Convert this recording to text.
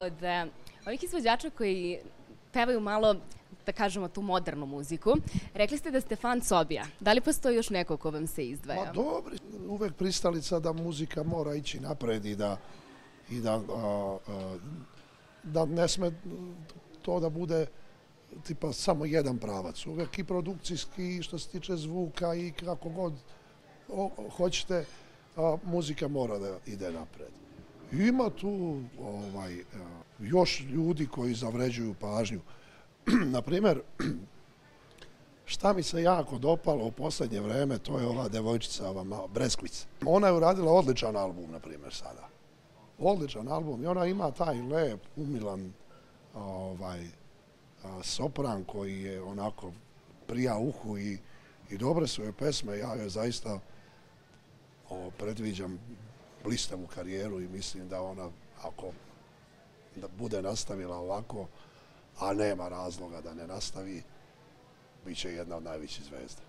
Od ovih izvođača koji pevaju malo, da kažemo, tu modernu muziku, rekli ste da ste fan Sobija. Da li postoji još neko ko vam se izdvaja? Ma dobro, uvek pristalica da muzika mora ići napred da ne sme to da bude tipa samo jedan pravac. Uvek i produkcijski, što se tiče zvuka i kako god hoćete, muzika mora da ide napred. Ima tu još ljudi koji zavređuju pažnju. Naprimer, šta mi se jako dopalo u poslednje vreme, to je ova devojčica, Breskvic. Ona je uradila odličan album, na primjer, sada. Odličan album i ona ima taj lep, umilan sopran koji je onako prija uhu i dobre su joj pesme. Ja joj zaista predviđam blistavu karijeru i mislim da ona, ako da bude nastavila ovako, a nema razloga da ne nastavi, bit će jedna od najvećih zvezda.